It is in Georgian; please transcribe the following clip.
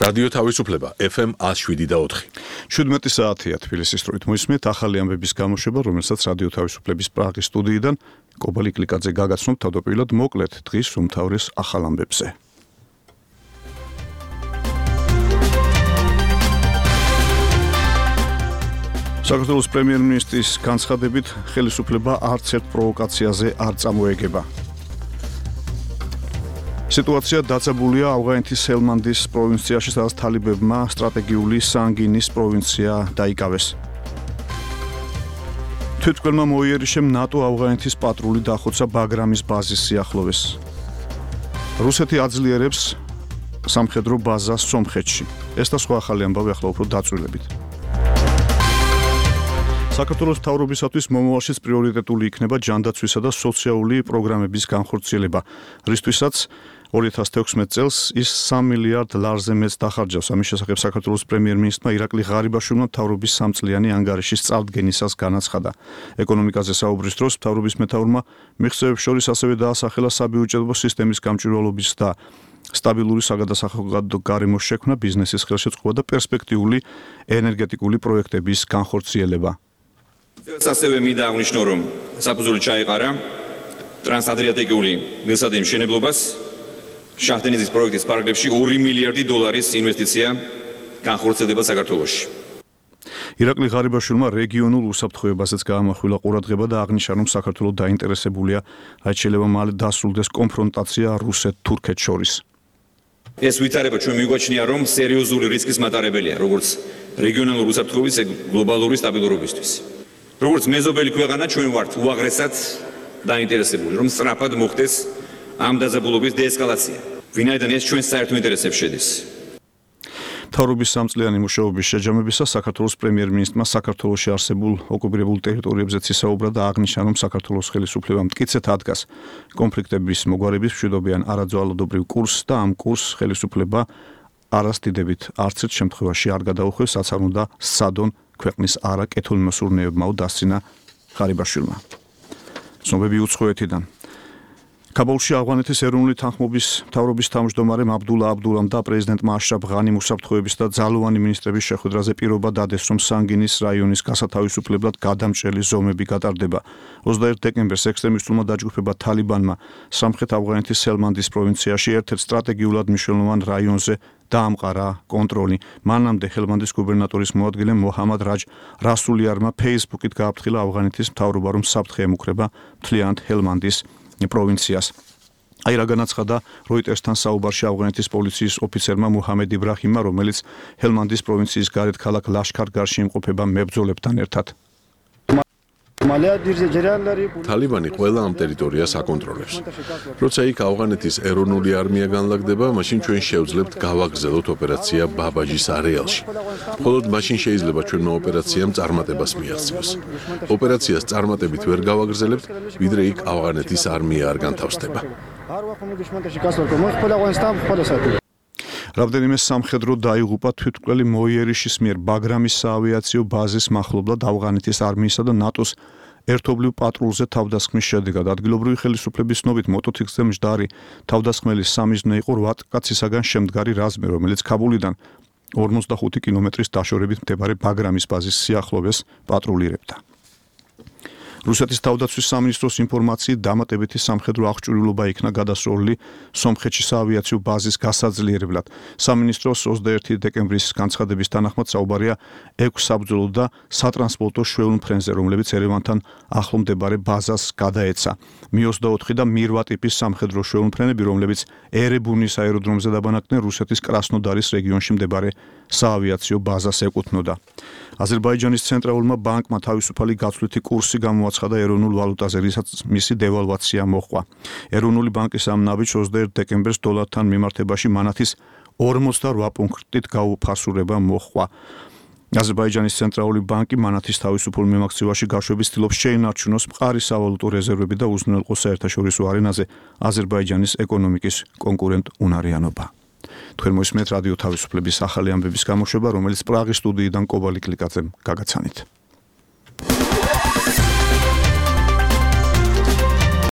რადიო თავისუფლება FM 107.4. 17 საათია თბილისის დროით მოისმენთ ახალი ამბების გამოშვება, რომელსაც რადიო თავისუფლების პრაღის სტუდიიდან კობალი კლიკაძე გაგაცნობთ თავდაპირველად მოკლედ დღის უმთავრეს ახალ ამბებზე. საქართველოს პრემიერ-მინისტრის განცხადებით ხელისუფლება არც ერთ პროვოკაციაზე არ წამოეგება. სიტუაცია დაძაბულია ავღანეთის ჰელმანდის პროვინციაში, სადაც თალიბებმა სტრატეგიული სანგინის პროვინცია დაიკავეს. თვითმკვლელმა მოიერიშემ ნატო ავღანეთის პატრული დახოცა ბაგრამის ბაზის სიახლოვეს. რუსეთი აძლიერებს სამხედრო ბაზას სომხეთში. ეს და სხვა ახალი ამბავი ახლა უფრო დაწვრილებით. საქართველოს მთავრობისათვის მომავალშიც პრიორიტეტული იქნება ჯანდაცვისა და სოციალური პროგრამების განხორციელება, რისთვისაც 2016 წელს ის 3 მილიარდ ლარზე მეტს დახარჯავს. ამის შესახებ საქართველოს პრემიერ-მინისტრმა ირაკლი ღარიბაშვილმა მთავრობის 3 წლიანი ანგარიშის წარდგენისას განაცხადა. ეკონომიკაზე საუბრის დროს მთავრობის მეთაურმა მიღწევებს შორის ასევე დაასახელა საბიუჯეტო სისტემის გამჭვირვალობის და სტაბილური საგადასახადო გარემოს შექმნა, ბიზნესის ხელშეწყობა და პერსპექტიული ენერგეტიკული პროექტების განხორციელება. ასევე მინდა აღნიშნო, რომ საფუძველი ჩაეყარა ტრანსადრიატიკული გზატკეცილების მშენებლობას, შაჰდენიზის პროექტის პარკლებში 2 მილიარდი დოლარის ინვესტიცია განხორციელდება საქართველოში. ირაკლი ღარიბაშვილმა რეგიონულ უსაფრთხოებაზეც გაამახვილა ყურადღება და აღნიშნა, რომ საქართველო დაინტერესებულია, რაც შეიძლება მალე დასრულდეს კონფრონტაცია რუსეთ-თურქეთს შორის. ეს ვითარება ჩვენ მიგვაჩნია, რომ სერიოზული რისკის მატარებელია, როგორც რეგიონალური უსაფრთხოების, ეგ გლობალური სტაბილურობისთვის. როგორც მეზობელი ქვეყანა ჩვენ ვართ უაღრესად დაინტერესებული, რომ სწრაფად მოხდეს ამ დაძაბულობის დეესკალაცია, ვინაიდან ეს ჩვენ საერთო ინტერესებში შედის. მთავრობის 3 წლიანი მუშაობის შეჯამებისას საქართველოს პრემიერ-მინისტრმა საქართველოში არსებულ ოკუპირებულ ტერიტორიებზეც ისაუბრა და აღნიშნა, რომ საქართველოს ხელისუფლება მტკიცედ ადგას კონფლიქტების მოგვარების მშვიდობიან არაძვალადობრივ კურსს და ამ კურსს ხელისუფლება არასდიდებით არც ერთ შემთხვევაში არ გადაუხვევს, რაც არ უნდა სცადონ ქვეყნის არაკეთილმოსურნეებმა დასცინა ღარიბაშვილმა. ცნობები უცხოეთიდან. კაბულში ავღანეთის ეროვნული თანხმობის მთავრობის თავმჯდომარემ აბდულა აბდულამ და პრეზიდენტმა აშრაფ ღანიმ უსაფრთხოების და ძალოვანი მინისტრების შეხვედრაზე პირობა დადეს, რომ სანგინის რაიონის გასათავისუფლებლად გადამჭრელი ზომები გატარდება. 21 დეკემბერს ექსტრემისტულმა დაჯგუფება თალიბანმა სამხრეთ ავღანეთის ჰელმანდის პროვინციაში ერთ-ერთ სტრატეგიულად მნიშვნელოვან რაიონზე დაამყარა კონტროლი. მანამდე ჰელმანდის გუბერნატორის მოადგილე მოჰამად რაჯ რასულიარმა ფეისბუქით გააფრთხილა ავღანეთის მთავრობა, რომ საფრთხე ემუქრება მთლიანად ჰელმანდის პროვინციას. აი რა განაცხადა როიტერსთან საუბარში ავღანეთის პოლიციის ოფიცერმა მუჰამედ იბრაჰიმმა, რომელიც ჰელმანდის პროვინციის გარეთ ქალაქ ლაშქარ-გარში იმყოფება მებრძოლებთან ერთად. თალიბანი ყველა ამ ტერიტორიას აკონტროლებს. როცა იქ ავღანეთის ეროვნული არმია განლაგდება, მაშინ ჩვენ შევძლებთ გავაგრძელოთ ოპერაცია ბაბაჯის არეალში. მხოლოდ მაშინ შეიძლება ჩვენმა ოპერაციამ წარმატებას მიაღწიოს. ოპერაციას წარმატებით ვერ გავაგრძელებთ, ვიდრე იქ ავღანეთის არმია არ განთავსდება. რამდენიმე სამხედრო დაიღუპა თვითმკვლელი მოიერიშის მიერ ბაგრამის საავიაციო ბაზის მახლობლად ავღანეთის არმიისა და ნატოს ერთობლივ პატრულზე თავდასხმის შედეგად. ადგილობრივი ხელისუფლების ცნობით მოტოციკლზე მჯდარი თავდასხმელის სამიზნე იყო 8 კაცისაგან შემდგარი რაზმი, რომელიც ქაბულიდან 45 კილომეტრის დაშორებით მდებარე ბაგრამის ბაზის სიახლოვეს პატრულირებდა. რუსეთის თავდაცვის სამინისტროს ინფორმაციით დამატებითი სამხედრო აღჭურვილობა იქნა გადასროლილი სომხეთში საავიაციო ბაზის გასაძლიერებლად. სამინისტროს 21 დეკემბრის განცხადების თანახმად საუბარია 6 საბრძოლო და სატრანსპორტო შვეულ მფრენზე, რომლებიც ერევანთან ახლო მდებარე ბაზას გადაეცა. Mi-24 და Mir-8 ტიპის სამხედრო შვეულ მფრენები, რომლებიც ერებუნის აეროდრომზე დაბანაკდნენ, რუსეთის კრასნოდარის რეგიონში მდებარე საავიაციო ბაზას ეკუთვნოდა. აზერბაიჯანის ცენტრალურმა ბანკმა თავისუფალი გაცვლითი კურსი გამოაცხადა ეროვნულ ვალუტაზე, რისაც მისი დევალვაცია მოჰყვა. ეროვნული ბანკის ამ ნაბიჯს 21 დეკემბერს დოლართან მიმართებაში მანათის 48 პუნქტით გაუფასურება მოჰყვა. აზერბაიჯანის ცენტრალური ბანკი მანათის თავისუფალ მიმოქცევაში გაშვების ცდილობს შეინარჩუნოს მყარი სავალუტო რეზერვები და უზრუნველყოს საერთაშორისო არენაზე აზერბაიჯანის ეკონომიკის კონკურენტუნარიანობა. თქვენ მოისმენთ რადიო თავისუფლების ახალი ამბების გამოშვება, რომელიც პრაღის სტუდიიდან კობალი კლიკაძემ გაგაცანით.